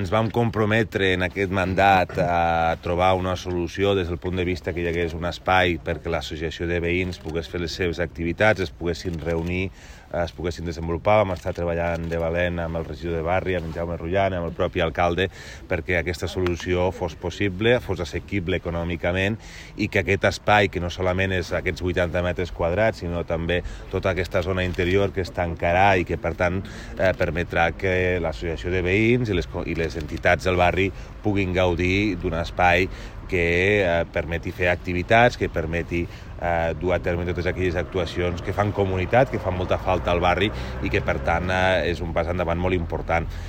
Ens vam comprometre en aquest mandat a trobar una solució des del punt de vista que hi hagués un espai perquè l'associació de veïns pogués fer les seves activitats, es poguessin reunir, es poguessin desenvolupar. Vam estar treballant de valent amb el regidor de barri, amb en Jaume Rullan, amb el propi alcalde, perquè aquesta solució fos possible, fos assequible econòmicament i que aquest espai, que no solament és aquests 80 metres quadrats, sinó també tota aquesta zona interior que es tancarà i que, per tant, permetrà que l'associació de veïns i les entitats del barri puguin gaudir d'un espai que permeti fer activitats, que permeti dur a terme totes aquelles actuacions que fan comunitat, que fan molta falta al barri i que, per tant, és un pas endavant molt important.